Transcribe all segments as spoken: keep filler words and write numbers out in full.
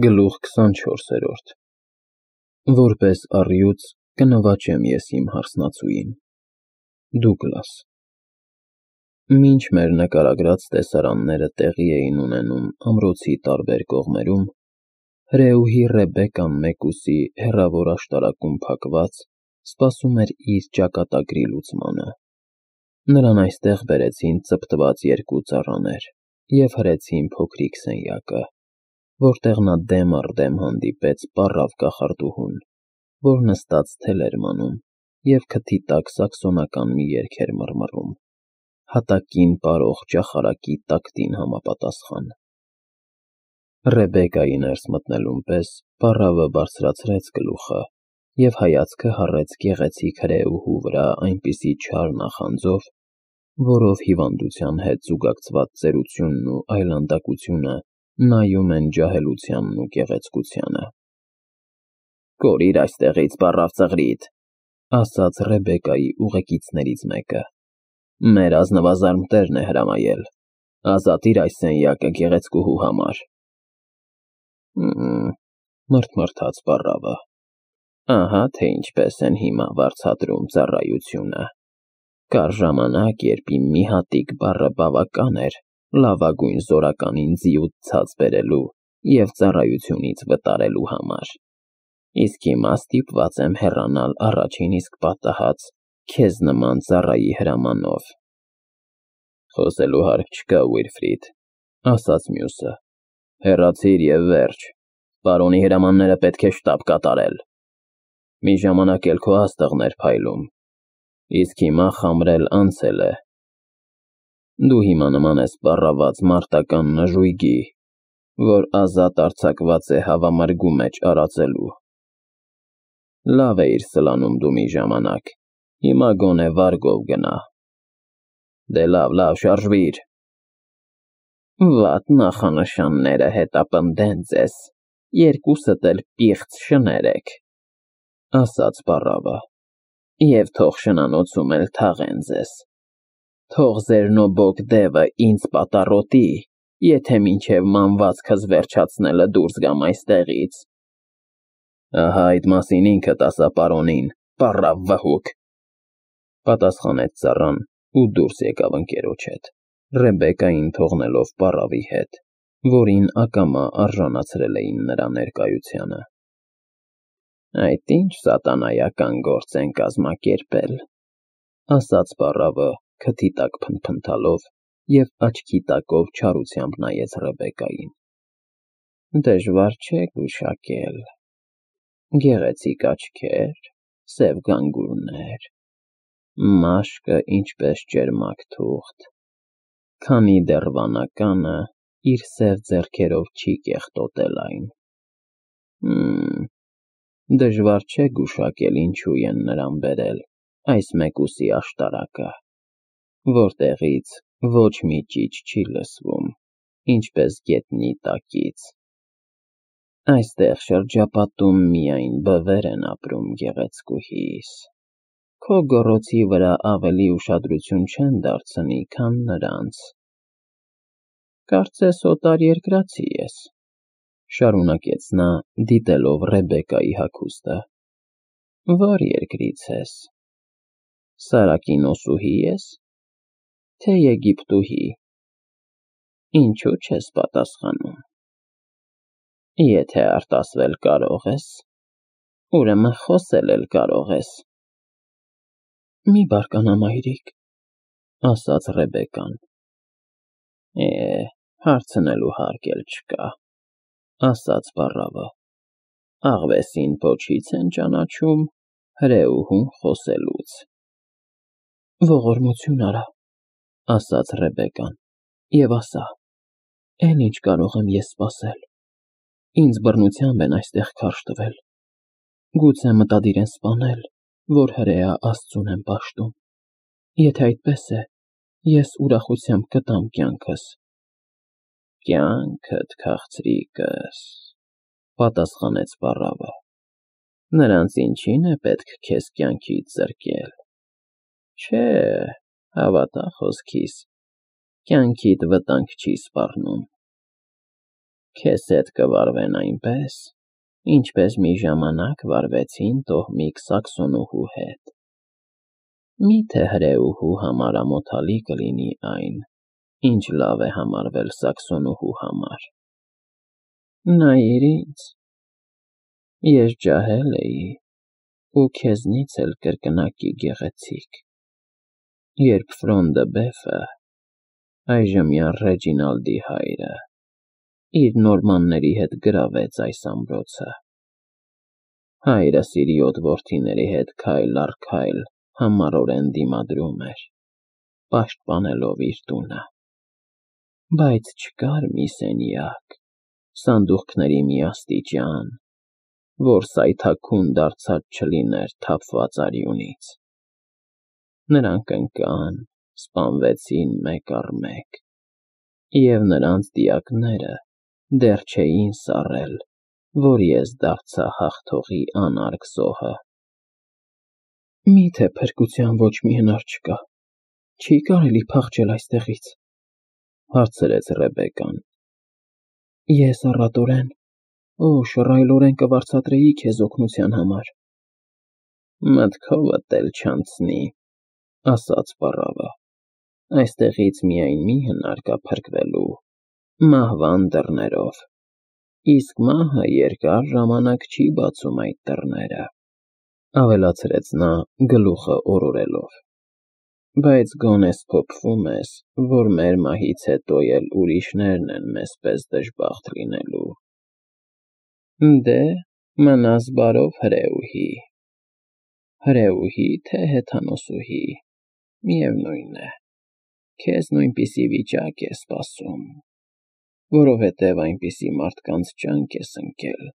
Գլուխ քսանչորսերորդ Որպես առյուծ կնվաճեմ ես իմ հարսնացուին։ Դուգլաս Մինչ մեր նկարագրած տեսարանները տեղի էին ունենում ամրոցի տարբեր կողմերում, հրեուհի Ռեբեկկան մեկուսի հեռավոր աշտարակում փակված սպասում էր իր ճակատագրի լուծմանը։ Նրան այստեղ բերեցին ծպտված երկու ծառաներ և հրեցին փոքրիկ սենյակը, որտեղ նա դեմ առ դեմ հանդիպեց պառավ կախարդուհուն, որ նստած թել էր մանում և քթի տակ սաքսոնական մի երգ էր մռմռում, հատակին պարող ճախարակի տակտին համապատասխան։ Ռեբեկկայի ներս մտնելուն պես պառավը բարձրացրեց գլուխը և հայացքը հառեց գեղեցիկ հրեուհու վրա այնպիսի չար նախանձով, որով հիվանդության հետ զուգակցված ծերությունն ու այլանդակությունը նայում են ջահելությանն ու գեղեցկությանը։ «Կորիր այստեղից, պառավ ծղրիդ,» ասաց Ռեբեկկայի ուղեկիցներից մեկը։ «Մեր ազնվազարմ տերն է հրամայել, ազատիր այս սենյակը գեղեցկուհու համար»։ «Հը՜մ,» մռթմռթաց պառավը, «ահա թե ինչպես են հիմա վարձատրում ծառայությունը։ Կար ժամանակ, երբ իմ մի հատիկ բառը բավական էր լավագույն զորականին ձիուց ցած բերելու և ծառայությունից վտարելու համար, իսկ հիմա ստիպված եմ հեռանալ առաջին իսկ պատահած քեզ նման ծառայի հրամանով»։ «Խոսելու հարկ չկա, Ուիլֆրիդ,» ասաց մյուսը, «հեռացիր և վերջ, պարոնի հրամանները պետք է շտապ կատարել։ Մի ժամանակ էլ քո աստղն էր փայլում, իսկ հիմա խամրել անցել է։ Դու հիմա նման ես պառաված մարտական նժույգի, որ ազատ արձակված է հավամրգու մեջ արածելու։ Լավ էիր սլանում դու մի ժամանակ, հիմա գոնե վարգով գնա։ Դե լավ, լավ, շարժվիր»։ «Վատ նախանշանները հետապնդեն ձեզ, երկուսդ էլ պիղծ շներ եք,» ասաց պառավը, «և թող շնանոցում էլ թաղեն ձեզ։ Թող ձեր նոբոգ դևը ինձ պատառոտի, եթե մինչև մանվածքս վերջացնելը դուրս գամ այստեղից»։ «Ահա այդ մասին ինքդ ասա պարոնին, պառավ վհուկ,» պատասխանեց ծառան ու դուրս եկավ ընկերոջ հետ, Ռեբեկկային թողնելով պառավի հետ, որին ակամա արժանացրել էին նրա ներկայությանը։ «Այդ ինչ սատանայական գործ են կազմակերպել,» ասաց պառավը քթի տակ փնթփնթալով և աչքի տակով չարությամբ նայեց Ռեբեկկային։ «Դժվար չէ գուշակել. գեղեցիկ աչքեր, սև գանգուրներ, մաշկը ինչպես ճերմակ թուղթ, քանի դեռ վանականը իր սև ձեռքերով չի կեղտոտել այն։ Հը՜մ, դժվար չէ գուշակել ինչու են նրան բերել այս մեկուսի աշտարակը, որտեղից ոչ մի ճիչ չի լսվում, ինչպես գետնի տակից։ Այստեղ շրջապատում միայն բվեր են ապրում, գեղեցկուհիս, քո գոռոցի վրա ավելի ուշադրություն չեն դարձնի, քան նրանց։ Կարծես օտարերկրացի ես,» շարունակեց նա, դիտելով Ռեբեկկայի հագուստը։ «Ո՞ր երկրից ես, Սարակինոսուհի ես, թե Եգիպտուհի։ Ինչու չես պատասխանում։ Եթե արտասվել կարող ես, ուրեմն խոսել էլ կարող ես»։ «Մի բարկանա, մայրիկ,» ասաց Ռեբեկկան։ «Է, հարցնելու հարկ էլ չկա,» ասաց պառավը, «աղվեսին պոչից են ճանաչում, հրեուհուն խոսելուց»։ «Ողորմություն արա,» ասաց Ռեբեկկան, «և ասա, էլ ինչ կարող եմ ես սպասել։ Ինձ բռնությամբ են այստեղ քարշ տվել, գուցե մտադիր են սպանել, որ հրեա Աստծուն եմ պաշտում։ Եթե այդպես է, ես ուրախությամբ կտամ կյանքս»։ «Կյանքդ, քաղցրիկս,» պատասխանեց պառավը, «նրանց ինչին է պետք քեզ կյանքից զրկել։ Չէ, հավատա խոսքիս, կյանքիդ վտանգ չի սպառնում։ Քեզ հետ կվարվեն այնպես, ինչպես մի ժամանակ վարվեցին տոհմիկ Սաքսոնուհու հետ։ Մի՞թե հրեուհու համար ամոթալի կլինի այն, ինչ լավ է համարվել Սաքսոնուհու համար։ Նայիր ինձ, ես ջահել էի ու քեզնից էլ կրկնակի գեղեցիկ, երբ Ֆրոնդը Բեֆը, այժմյան Ռեջինալդի հայրը, իր նորմանների հետ գրավեց այս ամրոցը։ Հայրս իր յոթ որդիների հետ քայլ առ քայլ համառորեն դիմադրում էր, պաշտպանելով իր տունը, բայց չկար մի սենյակ, սանդուղքների մի աստիճան, որ սայթաքուն դարձած չլիներ թափված արյունից։ Նրանք ընկան, սպանվեցին մեկ առ մեկ, և նրանց դիակները դեռ չէին սառել, որ ես դարձա հաղթողի անարգ զոհը։ Մի՞թե փրկության ոչ մի հնար չկա, չի՞ կարելի փախչել այստեղից, հարցրեց Ռեբեկան։ Ես առատորեն, օ, շռայլորեն կվարձատրեի քեզ օգնության համար։ Մտքովդ էլ չանցնի, ասաց պառավը, այստեղից միայն մի հնար կա փրկվելու, մահվան դռներով, իսկ մահը երկար ժամանակ չի բացում այդ դռները, ավելացրեց նա գլուխը օրորելով, բայց գոնե սփոփվում ես, որ մեր մահից հետո էլ ուրիշներն են մեզ պես դժբախտ լինելու։ Դե, մնաս բարով հրեուհի, հրեուհի, թե հեթանոսուհի, միևնույն է, քեզ նույնպիսի վիճակ է սպասում, որովհետև այնպիսի մարդկանց ճանք ես ընկել,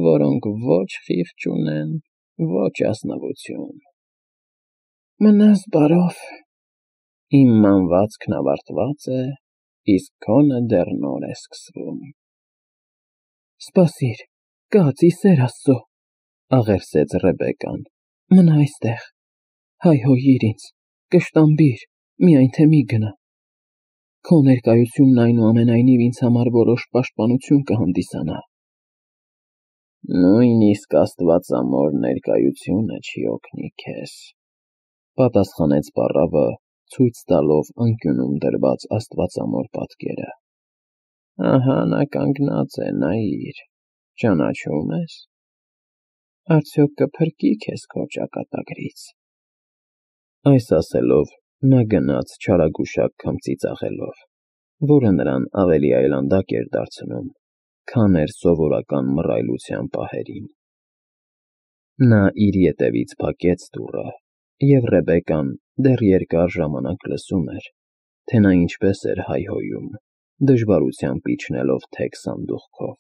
որոնք ոչ խիղճ ունեն, ոչ ազնվություն։ Մնաս բարով, իմ մանվածքն ավարտված է, իսկ քոնը դեռ նոր է սկսվում։ Սպասիր, կաց, ի սեր Աստծո, աղերսեց Ռեբեկան, մնա այստեղ, հայհոյիր ինձ, կշտամբիր, միայն թե մի գնա։ Քո ներկայությունն այնուամենայնիվ ինձ համար որոշ պաշտպանություն կհանդիսանա։ Նույնիսկ աստվածամոր ներկայությունը չի օգնի քեզ, պատասխանեց պառավը, ցույց տալով անկյունում դրված աստվածամոր պատկերը։ Ահա նա կանգնած է, նայիր, ճանաչում ես։ Արդյոք կփրկի քեզ քո ճակատագրից։ Այս ասելով նա գնաց չարագուշակ քմծի ծախելով, որը նրան ավելի այլանդակ էր դարձնում, քան էր սովորական մռայլության պահերին։ Նա իր ետևից փակեց դուռը, և Ռեբեկան դեռ երկար ժամանակ լսում էր, թե նա ինչպես էր հայհոյում, դժվարությամբ իջնելով թեք սանդուղքով,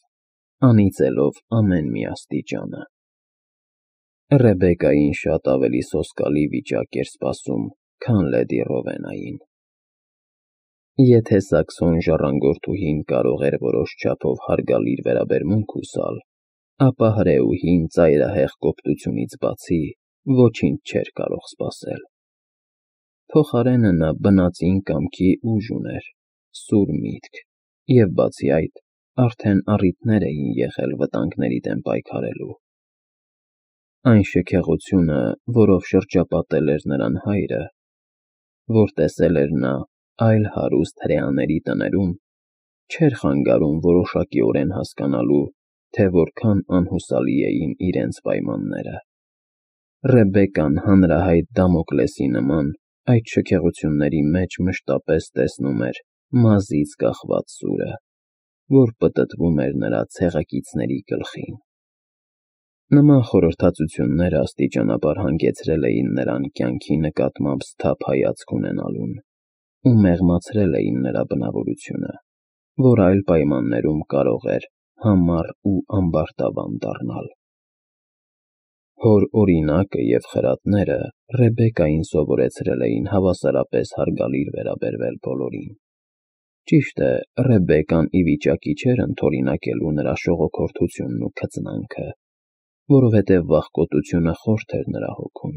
անիծելով ամեն մի աստիճանը։ Ռեբեկային շատ ավելի սոսկալի վիճակ էր սպասում, քան լեդի Ռովենային։ Եթե Սաքսոն ժառանգորդուհին կարող էր որոշ չափով հարգալից վերաբերմունք հուսալ, ապա հրեուհին ծայրահեղ կոպտությունից բացի ոչինչ չէր կարող սպասել։ Փոխարենը նա բնածին կամքի ուժ ուներ, սուր միտք, և բացի այդ, արդեն առիթներ էին եղել վտանգների դեմ պայքարելու։ Այն շքեղությունը, որով շրջապատել էր նրան հայրը, որ տեսել էր նա այլ հարուստ հրեաների տներում, չէր խանգարում որոշակիորեն հասկանալու, թե որքան անհուսալի էին իրենց պայմանները։ Ռեբեկան հանրահայտ Դամոկլեսի նման այդ շքեղությունների մեջ մշտապես տեսնում էր մազից կախված սուրը, որ պտտվում էր նրա ցեղակիցների գլխին։ Նման խորհրդածությունները աստիճանաբար հանգեցրել էին նրան կյանքի նկատմամբ սթափ հայացք ունենալուն ու մեղմացրել էին նրա բնավորությունը, որ այլ պայմաններում կարող էր համառ ու ամբարտավան դառնալ։ Հոր օրինակը և խրատները Ռեբեկային սովորեցրել էին հավասարապես հարգալից վերաբերվել բոլորին։ Ճիշտ է, Ռեբեկան ի վիճակի չէր ընդօրինակելու նրա շողոքորթությունն ու քծնանքը, որովհետև վախկոտությունը խորթ էր նրա հոգում։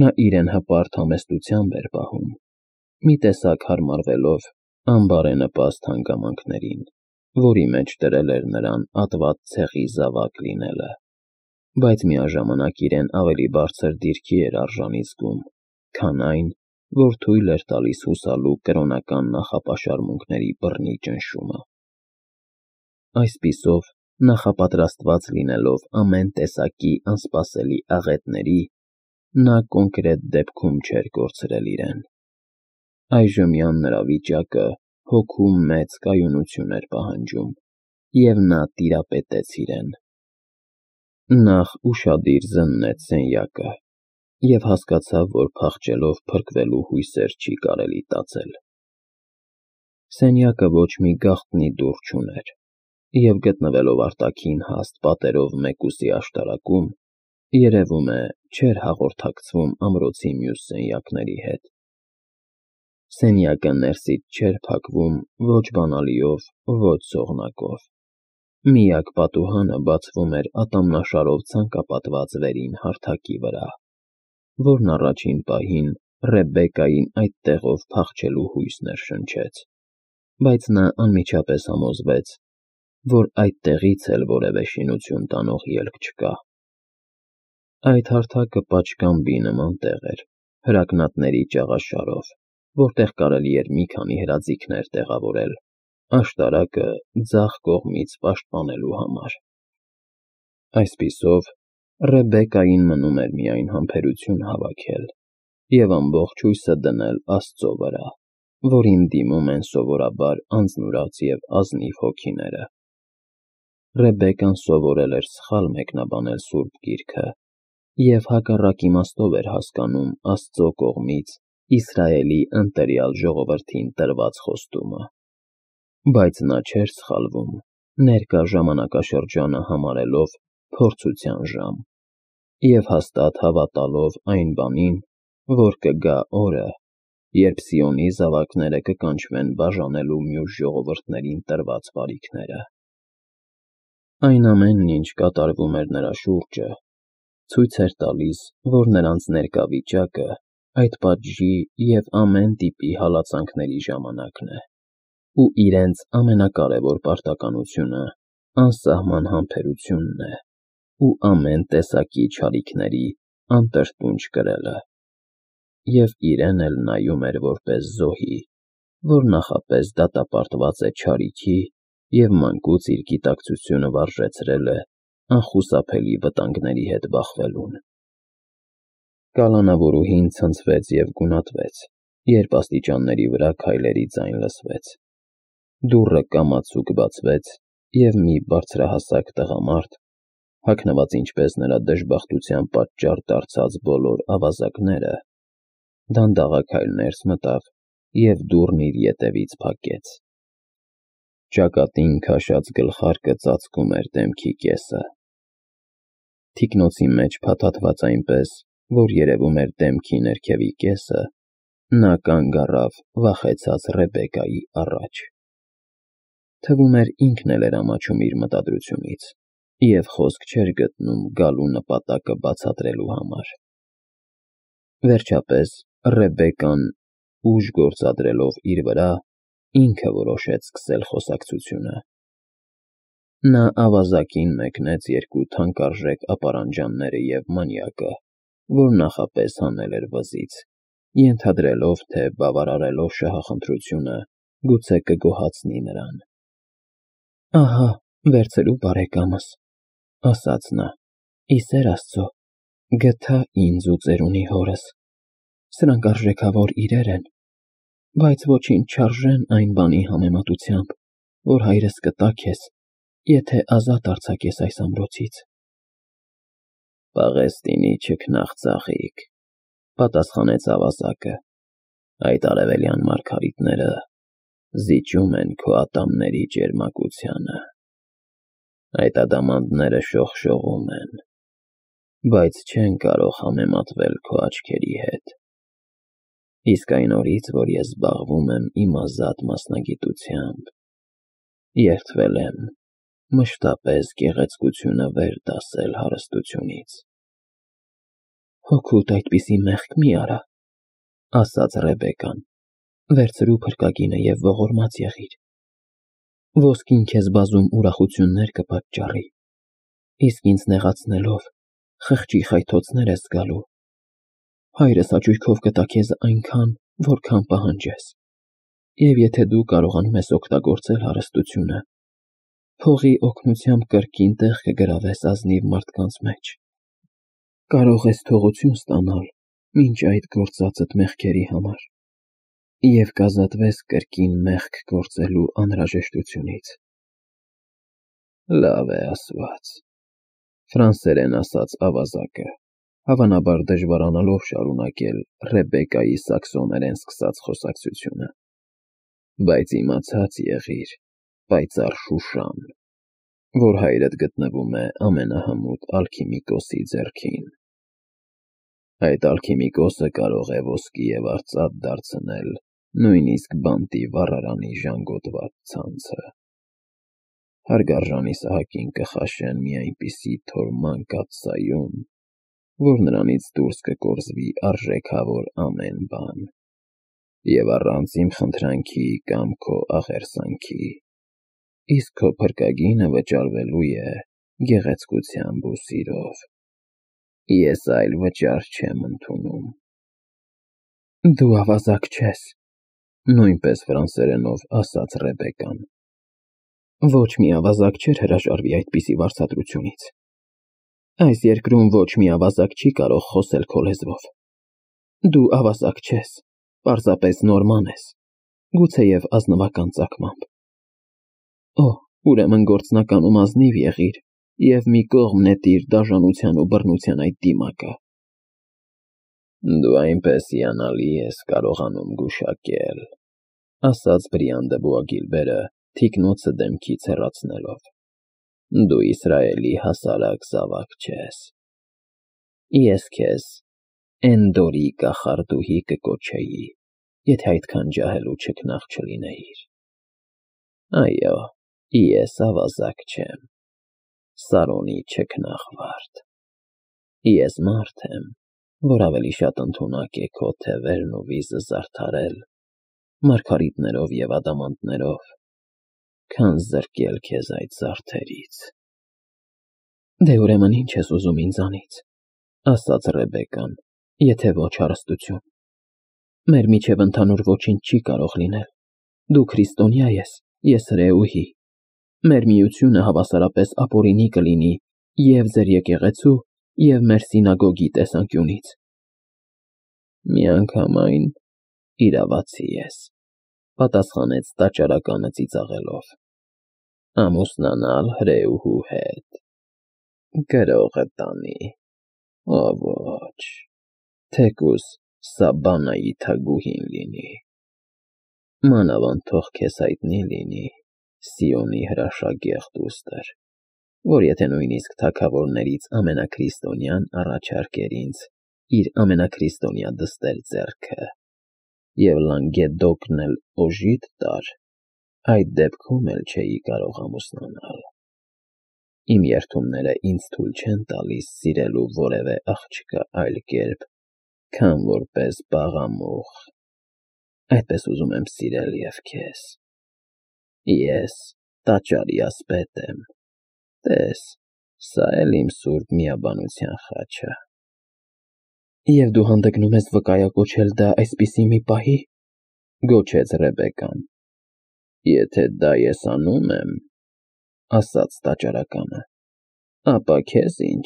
Նա իրեն հպարտ համեստությամբ էր պահում, մի տեսակ հարմարվելով անբարենպաստ հանգամանքներին որի մեջ դրել էր նրան ատված ցեղի զավակ լինելը, բայց միաժամանակ իրեն ավելի բարձր դիրքի էր արժանի զգում, քան այն, որ թույլ էր տալիս հուսալու կրոնական նախապաշարմունքների բռնի ճնշումը։ Այսպիսով, նախապատրաստված լինելով ամեն տեսակի անսպասելի աղետների, նա կոնկրետ դեպքում չէր կորցրել իրեն։ Այժմյան նրա վիճակը հոգու մեծ կայունություն էր պահանջում, և նա տիրապետեց իրեն։ Նախ ուշադիր զննեց սենյակը և հասկացավ, որ փախչելով փրկվելու հույսեր չի կարելի տածել։ Սենյակը ոչ մի գաղտնի դուռ չուներ, և գտնվելով արտաքին հաստ պատերով մեկուսի աշտարակում, երևում է, չէր հաղորդակցվում ամրոցի մյուս սենյակների հետ։ Սենյակը ներսից չէր փակվում ոչ բանալիով, ոչ սողնակով։ Միակ պատուհանը բացվում էր ատամնաշարով ցանկապատված վերին հարթակի վրա, որն առաջին պահին Ռեբեկային այդ տեղով փախչելու հույս ներշնչեց, բայց նա անմիջապես համոզվեց, որ այդտեղից էլ որևէ շինություն տանող ելք չկա։ Այդ հարթակը պատշգամբի նման տեղ էր, հրակնատների ճաղաշարով, որտեղ կարելի էր մի քանի հրաձիգներ տեղավորել, աշտարակը ձախ կողմից պաշտպանելու համար։ Այսպիսով, Ռեբեկային մնում էր միայն համբերություն հավաքել և ամբողջ հույսը դնել Աստծո վրա, որին դիմում են սովորաբար անձնուրաց և ազնիվ հոգիները։ Ռեբեկան սովորել էր սխալ մեկնաբանել Սուրբ Գիրքը և հակառակ իմաստով էր հասկանում Աստծո կողմից Իսրայելի ընտելյալ ժողովրդին տրված խոստումը։ Բայց նա չէր սխալվում, ներկա ժամանակաշրջանը համարելով փորձության ժամ և հաստատ հավատալով այն բանին, որ կգա օրը, երբ Սիոնի զավակները կկանչվեն բաժանելու մյուս ժողովուրդներին տրված բարիքները։ Այն ամենն, ինչ կատարվում էր նրա շուրջը, ցույց էր տալիս, որ նրանց ներկա վիճակը այդ պատժի և ամեն տիպի հալածանքների ժամանակն է, ու իրենց ամենակարևոր պարտականությունը անսահման համբերությունն է ու ամեն տեսակի չարիքների անտրտունջ կրելը, և իրեն էլ նայում էր որպես զոհի, որ նախապես դատապարտված է չարիքի և մանկուց իր գիտակցությունը վարժեցրել է անխուսափելի վտանգների հետ բախվելուն։ Կալանավորուհին ցնցվեց և գունատվեց, երբ աստիճանների վրա քայլերի ձայն լսվեց։ Դուռը կամացուկ բացվեց, և մի բարձրահասակ տղամարդ, հագնված ինչպես նրա դժբախտության պատճառ դարձած բոլոր ավազակները, դանդաղաքայլ ներս մտավ և դուռն իր ետևից փակեց։ Ճակատին քաշած գլխարկը ծածկում էր դեմքի կեսը։ Թիկնոցի մեջ փաթաթված այնպես, որ երևում էր դեմքի ներքևի կեսը, նա կանգ առավ վախեցած Ռեբեկայի առաջ։ Թվում էր ինքն էլ էր ամաչում իր մտադրությունից և խոսք չէր գտնում գալու նպատակը բացատրելու համար։ Վերջապես Ռեբեկան, ուժ գործադրելով իր վրա, ինքը որոշեց սկսել խոսակցությունը։ Նա ավազակին մեկնեց երկու թանկարժեք ապարանջանները և մանյակը, որ նախապես հանել էր վզից, ենթադրելով, թե բավարարելով շահախնդրությունը, գուցե կգոհացնի նրան։ «Ահա, վերցրու բարեկամս», ֊ ասաց նա, ֊ «ի սեր Աստծո, գտա ինձ ու ծերունի հորս։ Սրանք արժեքավոր իրեր են, բայց ոչինչ չարժեն այն բանի համեմատությամբ, որ հայրս կտա քեզ, եթե ազատ արձակես այս ամրոցից»։ «Պաղեստինի չքնաղ ծաղիկ», ֊ պատասխանեց ավազակը, ֊ այդ արևելյան մարգարիտները զիջում են քո ատամների ճերմակությանը։ Այդ ադամանդները շողշողում են, բայց չեն կարող համեմատվել քո աչքերի հետ։ Իսկ այն օրից, որ ես զբաղվում եմ իմ ազատ մասնագիտությամբ, երդվել եմ մշտապես գեղեցկությունը վեր դասել հարստությունից»։ «Հոգուդ այդպիսի մեղք մի արա», ֊ ասաց Ռեբեկան, ֊ վերցրու փրկագինը և ողորմած եղիր։ Ոսկին քեզ բազում ուրախություններ կպատճառի, իսկ ինձ նեղացնելով խղճի խայթոցներ ես զգալու։ Հայրս հաճույքով կտա քեզ այնքան, որքան պահանջես, և եթե դու կարողանում ես օգտագործել հարստությունը, փողի օգնությամբ կրկին տեղ կգրավես ազնիվ մարդկանց մեջ։ Կարող ես թողություն ստանալ մինչ այդ գործածդ մեղքերի համար և կազատվես կրկին մեղք գործելու անհրաժեշտությունից։ Լավ է ասված, ֆրանսերեն ասաց ավազակը, հավանաբար դժվարանալով շարունակել Ռեբեկայի սաքսոներեն սկսած խոսակցությունը, բայց իմացած եղիր, պայծառ Շուշան, որ հայրդ գտնվում է ամենահմուտ ալքիմիկոսի ձեռքին։ Այդ ալքիմիկոսը կարող է ոսկի և արծաթ դարձնել նույնիսկ բանտի վառարանի ժանգոտված ցանցը։ Հարգարժանի Սահակին կխաշեն մի այնպիսի թոր մանկած սայուն, որ նրանից դուրս կկորզվի արժեքավոր ամեն բան, և առանց իմ խնդրանքի կամ քո աղերսանքի, իսկ քո փրկագինը վճարվելու է գեղեցկությամբ ու սիրով։ Ես այլ վճար չեմ ընդունում։ Դու ավազակ չես, նույնպես ֆրանսերենով ասաց Ռեբեկան։ Ոչ մի ավազակ չէր հրաժարվի այդպիսի վարձատրությունից։ Այս երկրում ոչ մի ավազակ չի կարող խոսել քո լեզվով։ Դու ավազակ չես, պարզապես նորման ես, գուցեև ազնվական ծագմամբ։ Օ, ուրեմն գործնականում ազնիվ եղիր և մի կողմ նետիր դաժանության ու բռնության այդ դիմակը։ Դու այնպես հիանալի ես կարողանում գուշակել, ասաց Բրիան դը Բուագիլբերը, թիկնոցը դեմքից հեռացնելով։ Դու Իսրայելի հասարակ զավակ չես։ Ես քեզ Էնդորի կախարդուհի կկոչեի, եթե այդքան ջահել ու չքնաղ չլինեիր։ Այո, ես ավազակ չեմ, Սարոնի չքնաղ վարդ։ Ես մարդ եմ, որ ավելի շատ ընդունակ է քո թևերն ու վիզը զարդարել մարգարիտներով և ադամանդներով, քան զրկել քեզ այդ զարդերից։ Դե ուրեմն ինչ ես ուզում ինձանից, ասաց Ռեբեկան, եթե ոչ հարստություն։ Մեր միջև ընդհանուր ոչինչ չի կարող լինել։ Դու քրիստոնյա ես, ես հրեուհի։ Մեր միությունը հավասարապես ապօրինի կլինի և ձեր եկեղեցու, և մեր սինագոգի տեսանկյունից։ Միանգամայն իրավացի ես, պատասխանեց տաճարականը ծիծաղելով։ Ամուսնանալ հրեուհու հետ, գրողը տանի, օ ոչ, թեկուզ Սաբանայի թագուհին լինի։ Մանավանդ թող քեզ հայտնի լինի, Սիոնի հրաշագեղ դուստր, որ եթե նույնիսկ թագավորներից ամենաքրիստոնյան առաջարկեր ինձ իր ամենաքրիստոնյա դստեր ձեռքը և Լանգեդոկն էլ օժիտ տար, այդ դեպքում էլ չէի կարող ամուսնանալ։ Իմ երդումները ինձ թույլ չեն տալիս սիրելու որևէ աղջկա այլ կերպ, քան որպես բաղամուղ, այդպես ուզում եմ սիրել և քեզ։ Ես տաճարի ասպետ եմ, տես, սա էլ իմ սուրբ միաբանության խաչը։ Եվ դու հանդգնում ես վկայակոչել դա այսպիսի մի պահի, գոչեց Ռեբեկան։ Եթե դա ես անում եմ, ասաց տաճարականը, ապա քեզ ինչ,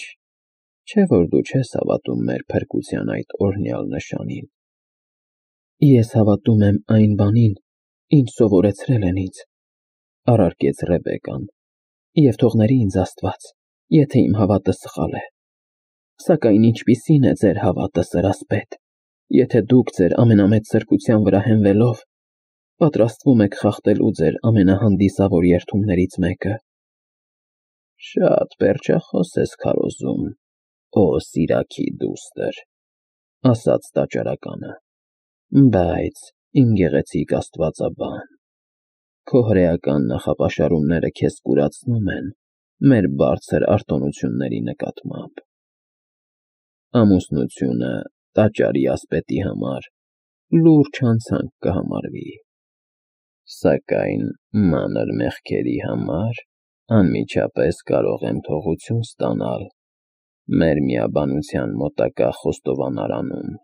չէ՞ որ դու չես հավատում մեր փրկության այդ օրհնյալ նշանին։ Ես հավատում եմ այն բանին, ինչ սովորեցրել են ինձ, առարկեց Ռեբեկան, և թողների ինձ Աստված, եթե իմ հավատը սխալ է։ Սակայն ինչպիսի՞ն է ձեր հավատը, սրասպետ, եթե դուք ձեր ամենամեծ սրբության վրա հենվելով պատրաստվում եք խախտելու ձեր ամենահանդիսավոր երդումներից մեկը։ Շատ պերճախոս ես քարոզում, օ Սիրաքի դուստր, ասաց տաճարականը, բայց իմ գեղեցիկ աստվածաբան, քո հրեական նախապաշարումները քեզ կուրացնում են մեր բարձր արտոնությունների նկատմամբ։ Ամուսնությունը տաճարի ասպետի համար լուրջ հանցանք կհամարվի։ Սակայն մանր մեղքերի համար անմիջապես կարող եմ թողություն ստանալ մեր միաբանության մոտակա խոստովանարանում։